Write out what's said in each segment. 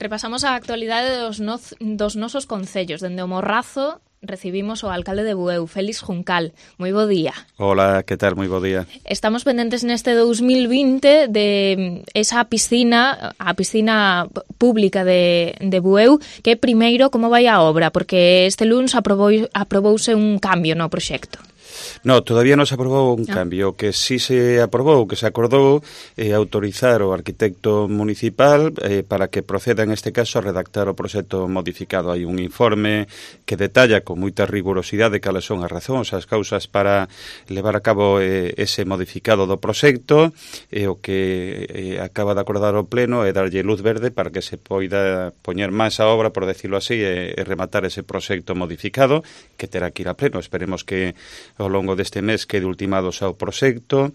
Repasamos a actualidade dos nosos concellos. Dende o Morrazo recibimos o alcalde de Bueu, Félix Juncal. Moi bo día. Hola, que tal? Moi bo día. Estamos pendentes neste 2020 de esa piscina, a piscina pública de Bueu, que primeiro como vai a obra, porque este luns aprobouse un cambio no proxecto. No, todavía non se aprobou un cambio. O que sí se aprobou, que se acordou, autorizar o arquitecto municipal para que proceda, en este caso, a redactar o proxecto modificado. Hai un informe que detalla con moita rigurosidade cales son as razóns, as causas para levar a cabo ese modificado do proxecto, e o que acaba de acordar o Pleno é darlle luz verde para que se poida poñer máis a obra, por decirlo así, e rematar ese proxecto modificado, que terá que ir a Pleno. Esperemos que ao longo deste mes quede ultimado xa o proxecto,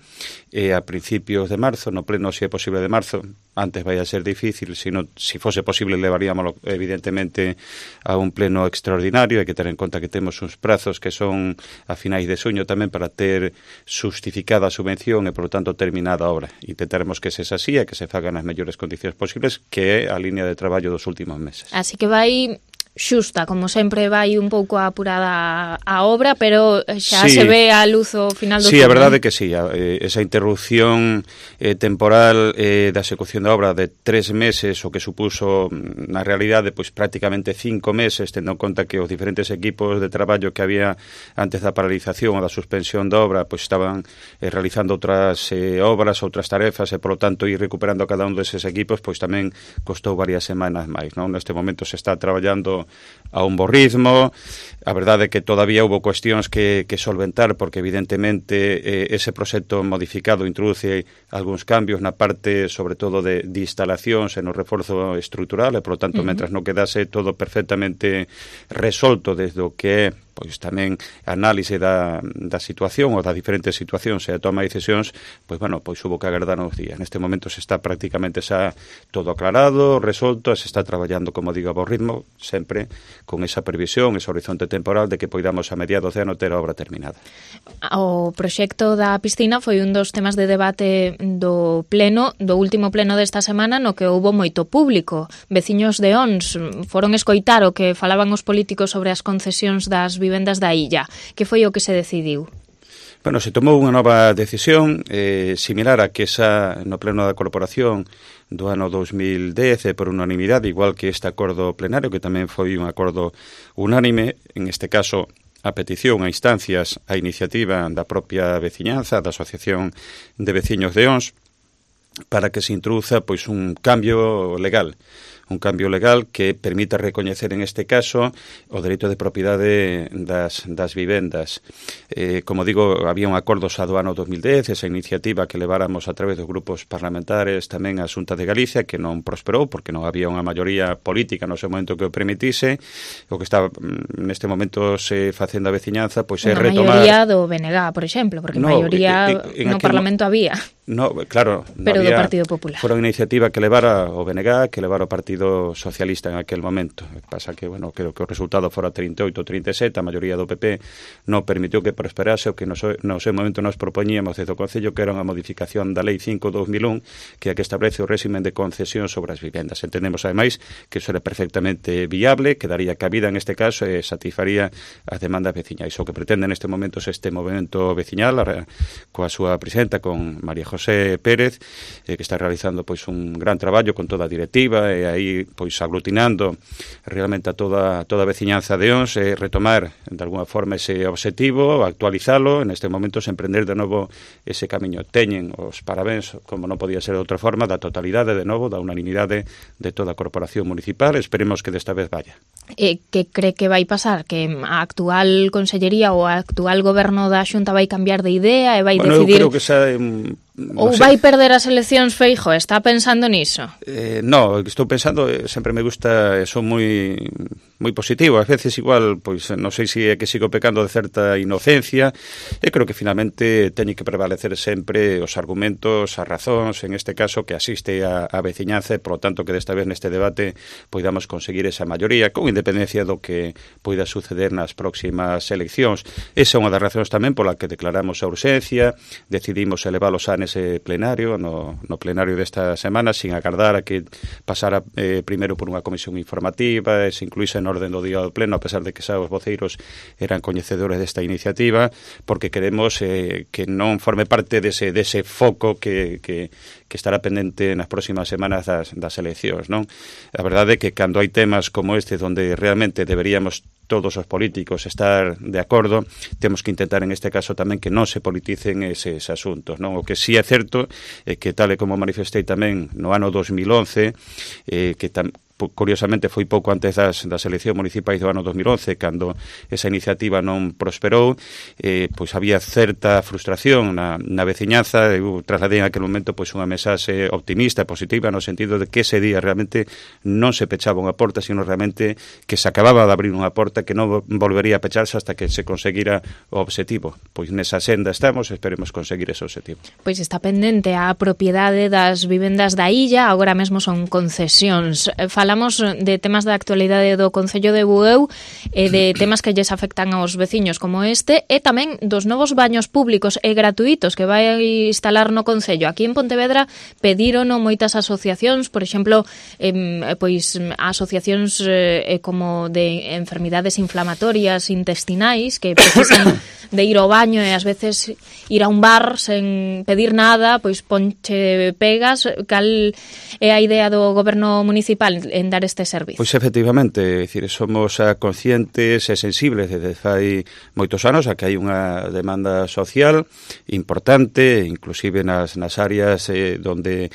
e a principios de marzo, no Pleno, se é posible de marzo, antes vai a ser difícil, si fose posible levaríamos evidentemente a un Pleno extraordinario. Hai que ter en conta que temos uns prazos que son a finais de xuño tamén para ter xustificada a subvención e, por lo tanto, terminada a obra. Intentaremos que se así e que se fagan as mellores condicións posibles, que é a línea de traballo dos últimos meses. Así que vai xusta, como sempre vai un pouco apurada a obra, pero xa se ve a luz ao final do túnel. Sí, a verdade é que sí, esa interrupción temporal da execución da obra de 3 meses, o que supuso na realidade pois prácticamente 5 meses, tendo en conta que os diferentes equipos de traballo que había antes da paralización ou da suspensión da obra pois estaban realizando outras obras, outras tarefas, e polo tanto ir recuperando cada un deses equipos pois tamén costou varias semanas máis, non? Neste momento se está traballando a un bo ritmo. A verdade é que todavía houve cuestións que solventar, porque evidentemente ese proxecto modificado introduce algúns cambios na parte, sobre todo, de instalacións e no reforzo estrutural, e, por lo tanto, mentras non quedase todo perfectamente resolto desde o que é pois tamén análise da situación ou das diferentes situacións e a toma de decisións, pois bueno, pois hubo que agardar uns días. Neste momento se está prácticamente xa todo aclarado, resolto, e se está traballando, como digo, a bo ritmo, sempre con esa previsión, ese horizonte temporal de que poidamos a mediados de ano ter a obra terminada. O proxecto da piscina foi un dos temas de debate do Pleno, do último Pleno desta semana, no que houbo moito público. Veciños de Ons foron escoitar o que falaban os políticos sobre as concesións das vivendas da illa. Que foi o que se decidiu? Bueno, se tomou unha nova decisión similar a que esa no Pleno da Corporación do ano 2010 por unanimidade, igual que este acordo plenario, que tamén foi un acordo unánime, en este caso a petición, a instancias, a iniciativa da propia veciñanza, da Asociación de Veciños de Ons, para que se introduza pois un cambio legal que permita recoñecer, en este caso, o dereito de propiedade das vivendas. Como digo, había un acordo xa do ano 2010, esa iniciativa que leváramos a través dos grupos parlamentares tamén a Xunta de Galicia, que non prosperou, porque non había unha maioría política no seu momento que o permitise. O que está neste momento se facendo a veciñanza, pois é retomar... Unha maioría do BNG, por exemplo, porque maioría no Parlamento había. No, claro, pero do Partido Popular. Fora unha iniciativa que levara o BNG, que levara o Partido Socialista en aquel momento. Pasa que, bueno, creo que o resultado fora 38 ou 37, a maioría do PP non permitiu que prosperase o que no seu momento nos propoñíamos desde o Concello, que era unha modificación da Lei 5/2001, que establece o réximen de concesión sobre as vivendas. Entendemos, ademais, que iso era perfectamente viable, que daría cabida en este caso e satisfaría as demandas veciñais. O que pretende neste momento é este movimento veciñal, coa súa presidenta, con María José Pérez, que está realizando pois un gran traballo con toda a directiva, e aí pois aglutinando realmente a toda a veciñanza de Ons, retomar de alguna forma ese obxectivo, actualizalo, en este momento se emprender de novo ese camiño. Teñen os parabéns, como non podía ser de outra forma, da totalidade, de novo, da unanimidade de toda a corporación municipal. Esperemos que desta vez vaya. Que cree que vai pasar? Que a actual consellería ou a actual goberno da Xunta vai cambiar de idea e vai decidir... Eu creo que xa... Ou vai perder as eleccións, Feijóo? Está pensando niso? No, estou pensando, sempre me gusta, son moi positivo. Ás veces igual, pois non sei se é que sigo pecando de certa inocencia. Eu creo que finalmente teñen que prevalecer sempre os argumentos, as razóns, en este caso que asiste a veciñanza, e por lo tanto que desta vez neste debate poidamos conseguir esa maioría, con independencia do que poida suceder nas próximas eleccións. Esa é unha das razóns tamén pola que declaramos a urxencia, decidimos elevar os anes nese plenario, no plenario desta semana, sin agardar a que pasara primeiro por unha comisión informativa e se incluíse en orden do día do pleno, a pesar de que xa os voceiros eran coñecedores desta iniciativa, porque queremos que non forme parte dese foco que estará pendente nas próximas semanas das eleccións, non? A verdade é que cando hai temas como este onde realmente deberíamos todos os políticos estar de acordo, temos que intentar en este caso tamén que non se politicen eses asuntos, non? O que sí é certo é que tal e como manifestei tamén no ano 2011, que curiosamente foi pouco antes das eleccións municipais do ano 2011, cando esa iniciativa non prosperou, pois había certa frustración na veciñanza. Eu trasladei en aquel momento pois unha mensaxe optimista, positiva, no sentido de que ese día realmente non se pechaba unha porta, sino realmente que se acababa de abrir unha porta que non volvería a pecharse hasta que se conseguira o obxectivo. Pois nesa senda estamos, esperemos conseguir ese obxectivo. Pois está pendente a propiedade das vivendas da illa, agora mesmo son concesións. Falamos de temas da actualidade do Concello de Bueu e de temas que lles afectan aos veciños como este e tamén dos novos baños públicos e gratuitos que vai instalar no Concello. Aquí en Pontevedra pediron moitas asociacións, por exemplo, pois asociacións como de enfermidades inflamatorias intestinais que precisan de ir ao baño e ás veces ir a un bar sen pedir nada, pois ponche pegas. Cal é a idea do goberno municipal en dar este servizo? Pois efectivamente, é dicir, somos conscientes e sensibles desde fai moitos anos a que hai unha demanda social importante, inclusive nas áreas donde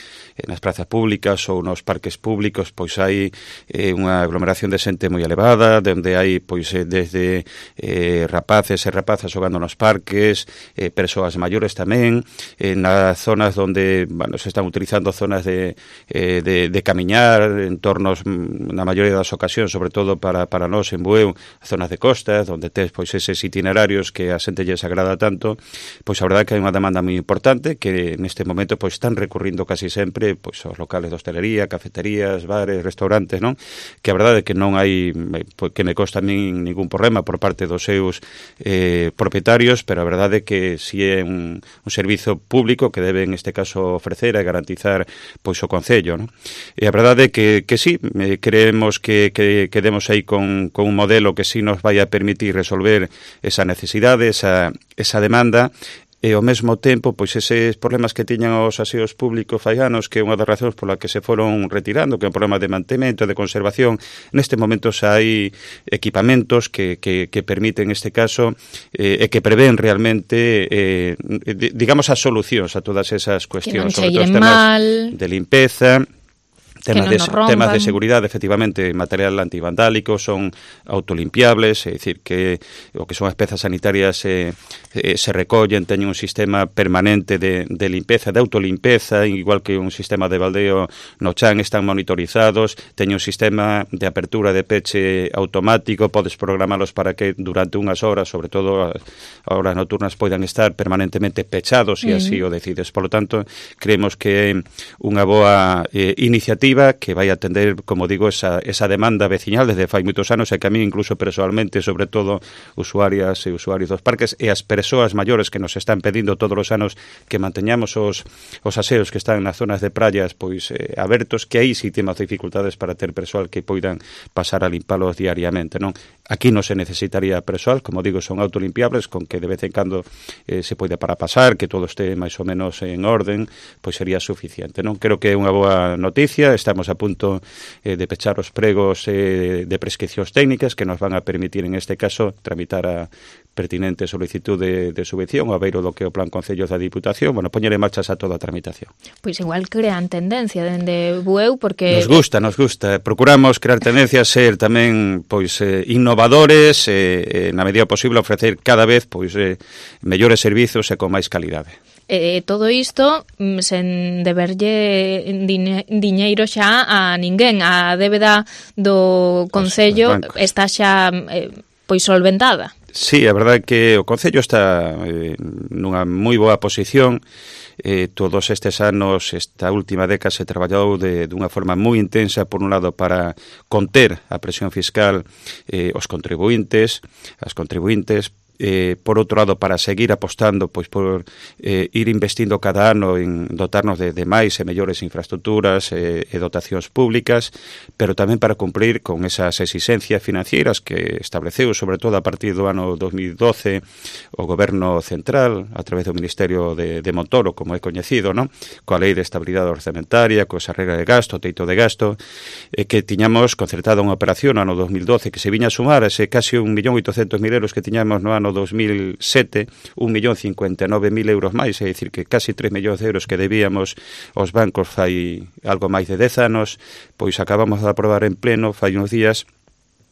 nas prazas públicas ou nos parques públicos pois hai unha aglomeración de xente moi elevada, onde hai pois desde rapaces e rapazas xogando nos parques, persoas maiores tamén, nas zonas onde se están utilizando zonas de camiñar, entornos na maioría das ocasións, sobre todo para nós en Bueu, zonas de costas, onde tes pois eses itinerarios que a xente lles agrada tanto, pois a verdade que hai unha demanda moi importante que neste momento pois están recurrindo casi sempre pois aos locales de hostelería, cafeterías, bares, restaurantes, non? Que a verdade é que non hai, que me consta a min ningún problema por parte dos seus propietarios, pero a verdade é que si é un servizo público que debe en este caso ofrecer e garantizar pois o Concello, non? E a verdade é que sí, creemos que demos aí con un modelo que sí nos vai a permitir resolver esa necesidade, esa demanda, e ao mesmo tempo, pois eses problemas que tiñan os aseos públicos fai anos, que é unha das razóns pola que se foron retirando, que é un problema de mantemento, de conservación, neste momento xa hai equipamentos que permiten, neste caso, e que prevén realmente, digamos, as solucións a todas esas cuestións, sobre todo os temas de limpeza, temas de seguridade, efectivamente, material antivandálico, son autolimpiables, é dicir, que o que son as pezas sanitarias se recollen, teñen un sistema permanente de limpeza, de autolimpeza, igual que un sistema de baldeo no chan, están monitorizados, teñen un sistema de apertura de peche automático, podes programalos para que durante unhas horas, sobre todo as horas nocturnas, poidan estar permanentemente pechados, e así o decides. Por lo tanto, creemos que é unha boa iniciativa que vai atender, como digo, esa demanda veciñal desde fai moitos anos e que a mí incluso personalmente, sobre todo usuarias e usuarios dos parques e as persoas maiores que nos están pedindo todos os anos que manteñamos os aseos que están nas zonas de praias pois abertos, que aí sí temos dificultades para ter persoal que poidan pasar a limpalos diariamente, non? Aquí non se necesitaría persoal, como digo, son autolimpiables, con que de vez en cando se pode para pasar, que todo este máis ou menos en orden, pois sería suficiente, non? Creo que é unha boa noticia. Estamos a punto de pechar os pregos de prescripcións técnicas que nos van a permitir, en este caso, tramitar a pertinente solicitud de subvención ao beiro do que o Plan Concellos da Diputación, bueno, poñer en marcha xa toda a tramitación. Pois igual crean tendencia dende Bueu, porque... Nos gusta. Procuramos crear tendencias, ser tamén pois innovadores, na medida posible ofrecer cada vez pois mellores servizos e con máis calidade. Todo isto sen deberlle diñeiro xa a ninguén. A débeda do Concello está xa pois solventada. Sí, a verdade é que o Concello está nunha moi boa posición. Todos estes anos, esta última década, se traballou dunha forma moi intensa, por un lado, para conter a presión fiscal, os contribuintes, as contribuintes, por outro lado, para seguir apostando pois por ir investindo cada ano en dotarnos de máis e mellores infraestructuras e dotacións públicas, pero tamén para cumprir con esas exigencias financieras que estableceu, sobre todo a partir do ano 2012, o Goberno Central, a través do Ministerio de Montoro, como é coñecido, non? Coa Lei de Estabilidade Orzamentaria, coa esa regra de gasto, teito de gasto, que tiñamos concertada unha operación no ano 2012 que se viña a sumar a ese casi 1.800.000 euros que tiñamos no ano 2007, 1.059.000 euros máis, é dicir, que casi 3 millóns de euros que debíamos aos bancos fai algo máis de 10 anos, pois acabamos de aprobar en pleno fai uns días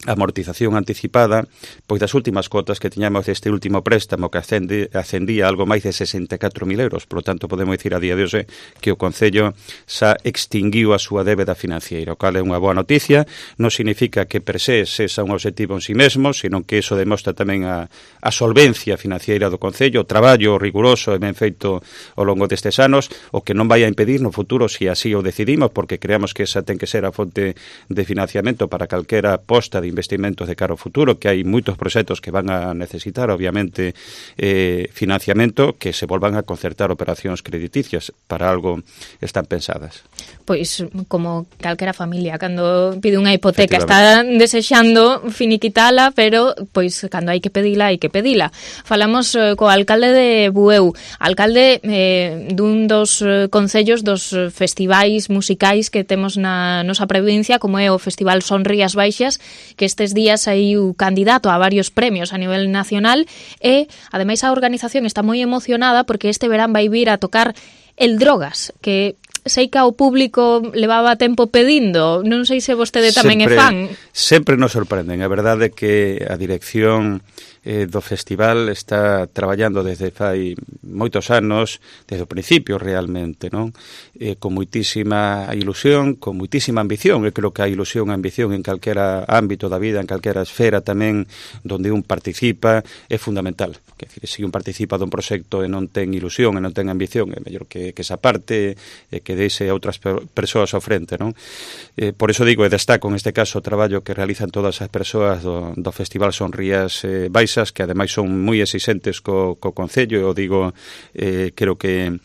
a amortización anticipada pois das últimas cotas que tiñamos deste último préstamo que ascendía a algo máis de 64.000 euros. Por lo tanto, podemos dicir a día de hoxe que o Concello xa extinguiu a súa débeda financiera, o cal é unha boa noticia. Non significa que per se sexa un objetivo en si mesmo, sino que iso demostra tamén a solvencia financiera do Concello, o traballo riguroso e ben feito ao longo destes anos, o que non vai a impedir no futuro, se así o decidimos, porque creamos que esa ten que ser a fonte de financiamento para calquera aposta de investimentos de cara ao futuro, que hai moitos proxectos que van a necesitar, obviamente, financiamento, que se volvan a concertar operacións crediticias, para algo están pensadas. Pois, como calquera familia, cando pide unha hipoteca, está desexando finiquitala, pero, pois, cando hai que pedila, hai que pedila. Falamos co alcalde de Bueu, alcalde dun dos concellos dos festivais musicais que temos na nosa provincia, como é o Festival Son Rías Baixas, que estes días hai un candidato a varios premios a nivel nacional e, ademais, a organización está moi emocionada porque este verán vai vir a tocar El Drogas, que sei que ao público levaba tempo pedindo, non sei se vostede tamén é fan. Sempre nos sorprenden, a verdade é que a dirección do festival está traballando desde fai moitos anos, desde o principio realmente, non? Con moitísima ilusión, con moitísima ambición. Eu creo que a ilusión e a ambición en calquera ámbito da vida, en calquera esfera tamén donde un participa, é fundamental. Quer dizer, se un participa dun proxecto e non ten ilusión e non ten ambición, é mellor que esa parte que deixe a outras persoas ao frente, non? Por eso digo, e destaco en este caso o traballo que realizan todas as persoas do Festival Son Rías Baixas, que ademais son moi exigentes co Concello, e o digo, creo que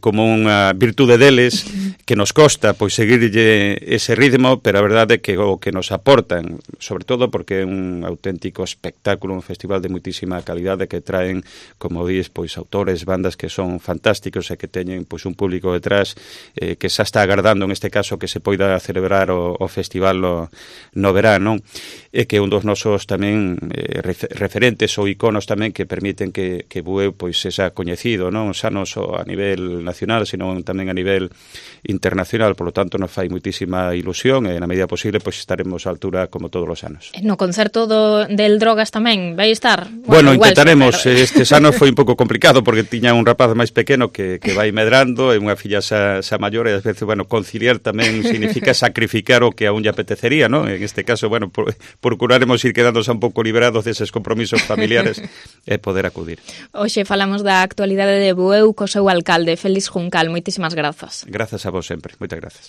como unha virtude deles, que nos costa pois seguirlle ese ritmo, pero a verdade é que o que nos aportan, sobre todo porque é un auténtico espectáculo, un festival de moitísima calidade que traen, como dis, pois autores, bandas que son fantásticos e que teñen pois un público detrás que xa está agardando, en este caso, que se poida celebrar o festival no verán, non? E que un dos nosos tamén referentes ou iconos tamén que permiten que Bueu pois sexa coñecido, non xa non só a nivel nacional, sino tamén a nivel internacional. Por lo tanto, nos fai moitísima ilusión e na medida posible pois estaremos á altura como todos os anos. No concerto del Drogas tamén vai estar? Bueno, intentaremos. Estes anos foi un pouco complicado porque tiña un rapaz máis pequeno que vai medrando e unha filla xa maior, e ás veces, bueno, conciliar tamén significa sacrificar o que a un lle apetecería, non? En este caso, bueno, procuraremos ir quedándose un pouco liberados deses compromisos familiares e poder acudir. Hoxe falamos da actualidade de Bueu co seu alcalde, Félix Juncal. Moitísimas grazas. Grazas a vos sempre. Moitas grazas.